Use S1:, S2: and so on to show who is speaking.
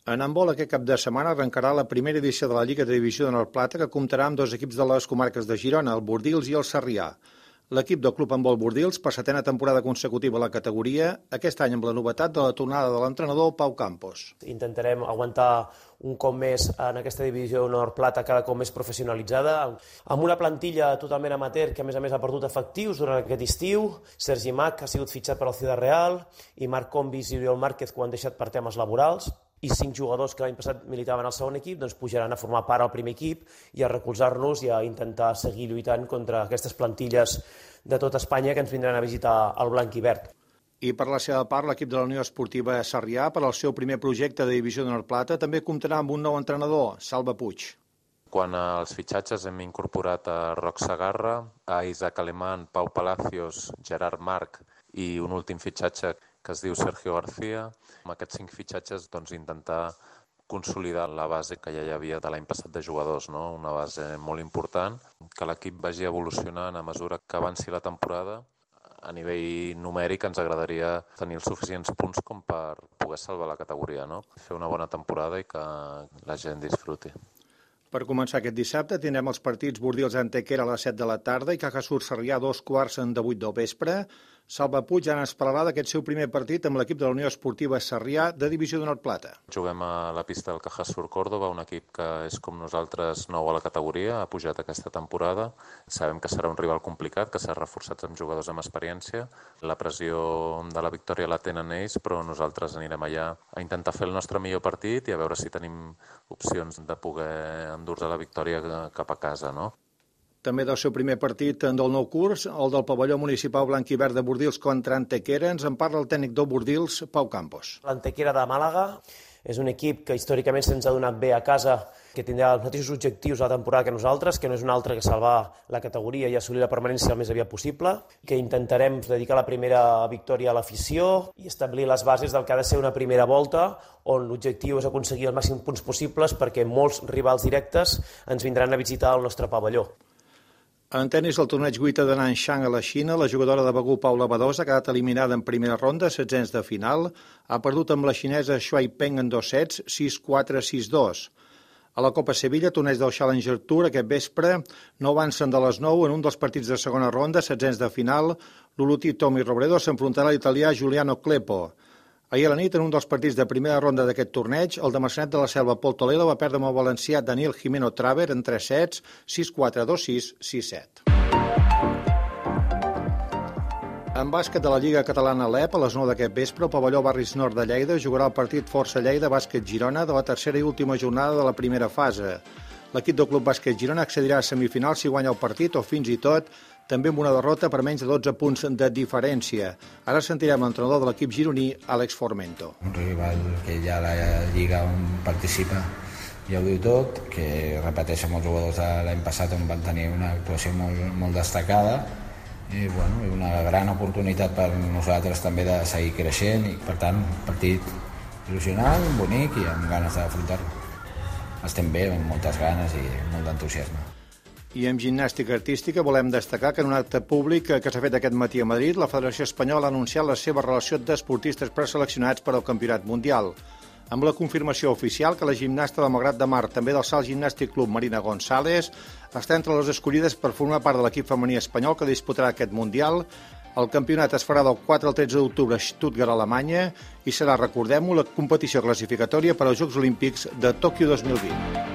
S1: En handbol, aquest cap de setmana arrencarà la primera edició de la Lliga de Divisió de Nord-Plata, que comptarà amb dos equips de les comarques de Girona, el Bordils i el Sarrià. L'equip del Club Handbol Bordils, per setena temporada consecutiva a la categoria, aquest any amb la novetat de la tornada de l'entrenador Pau Campos.
S2: Intentarem aguantar un cop més en aquesta divisió Nord-Plata cada cop més professionalitzada, amb una plantilla totalment amateur que a més ha perdut efectius durant aquest estiu. Sergi Mac ha sigut fitxat per al Ciudad Real i Marc Combis i Oriol Márquez, que ho han deixat per temes laborals, i 5 jugadors que l'any passat militaven al segon equip doncs pujaran a formar part al primer equip i a recolzar-nos i a intentar seguir lluitant contra aquestes plantilles de tot Espanya que ens vindran a visitar al blanc i verd.
S1: I per la seva part, l'equip de la Unió Esportiva Sarrià, per al seu primer projecte de divisió de Nord-Plata, també comptarà amb un nou entrenador, Salva Puig.
S3: Quan als fitxatges hem incorporat a Roc Sagarra, a Isaac Alemán, Pau Palacios, Gerard Marc i un últim fitxatge que es diu Sergio García. Amb aquests 5 fitxatges intentar consolidar la base que ja hi havia de l'any passat de jugadors, no? Una base molt important, que l'equip vagi evolucionant a mesura que avanci la temporada. A nivell numèric ens agradaria tenir els suficients punts com per poder salvar la categoria, no? Fer una bona temporada i que la gent disfruti.
S1: Per començar aquest dissabte tindrem els partits Bordils-Antequera a les 7 de la tarda i Cajasur-Sarrià a 2:15 de 8 del vespre. Salva Puig ja ens parlarà d'aquest seu primer partit amb l'equip de la Unió Esportiva Sarrià de Divisió de Nord-Plata.
S3: Juguem a la pista del Cajasur Córdoba, un equip que és com nosaltres nou a la categoria, ha pujat aquesta temporada. Sabem que serà un rival complicat, que s'ha reforçat amb jugadors amb experiència. La pressió de la victòria la tenen ells, però nosaltres anirem allà a intentar fer el nostre millor partit i a veure si tenim opcions de poder endur-nos la victòria cap a casa, no?
S1: També del seu primer partit del nou curs, el del pavelló municipal blanc i verd de Bordils contra Antequera, ens en parla el tècnic del Bordils, Pau Campos.
S2: L'Antequera de Màlaga és un equip que històricament se'ns ha donat bé a casa, que tindrà els mateixos objectius a la temporada que nosaltres, que no és un altre que salvar la categoria i assolir la permanència el més aviat possible, que intentarem dedicar la primera victòria a l'afició i establir les bases del que ha de ser una primera volta on l'objectiu és aconseguir els màxims punts possibles perquè molts rivals directes ens vindran a visitar al nostre pavelló.
S1: En tennis, el torneig Guita de Nanchang a la Xina, la jugadora de Begur Paula Badosa ha quedat eliminada en primera ronda, 16 de final. Ha perdut amb la xinesa Shuai Peng en 2 sets, 6-4, 6-2. A la Copa Sevilla, torneig del Challenger Tour, aquest vespre, no avancen de les 9 en un dels partits de segona ronda, 16 de final. L'olotí Tommy Robredo s'enfrontarà a l'italià Giuliano Cleppo. Ahir a la nit, en un dels partits de primera ronda d'aquest torneig, el de Maçanet de la Selva, Pol Toledo, va perdre amb el valencià Daniel Jimeno Traver en 3 sets, 6-4, 2-6, 6-7. En bàsquet de la Lliga Catalana LEP, a les 9 d'aquest vespre, el pavelló Barris Nord de Lleida jugarà el partit Força Lleida Bàsquet Girona de la tercera i última jornada de la primera fase. L'equip del Club Bàsquet Girona accedirà a semifinals si guanya el partit o fins i tot també amb una derrota per menys de 12 punts de diferència. Ara sentirem l'entrenador de l'equip gironí, Àlex Formento.
S4: Un rival que ja a la Lliga on participa ja ho diu tot, que repeteix amb els jugadors de l'any passat on van tenir una actuació molt destacada i una gran oportunitat per nosaltres també de seguir creixent i per tant partit il·lusionant, bonic i amb ganes d'afrontar-lo. Estem bé, amb moltes ganes i molt d'entusiasme.
S1: I en gimnàstica artística volem destacar que en un acte públic que s'ha fet aquest matí a Madrid, la Federació Espanyola ha anunciat la seva relació d'esportistes preseleccionats per al Campionat Mundial, amb la confirmació oficial que la gimnasta del Malgrat de Mar, també del Salt Gimnàstic Club Marina González, està entre les escollides per formar part de l'equip femení espanyol que disputarà aquest Mundial. El campionat es farà del 4 al 13 d'octubre a Stuttgart, Alemanya, i serà, recordem-ho, la competició classificatòria per als Jocs Olímpics de Tòquio 2020.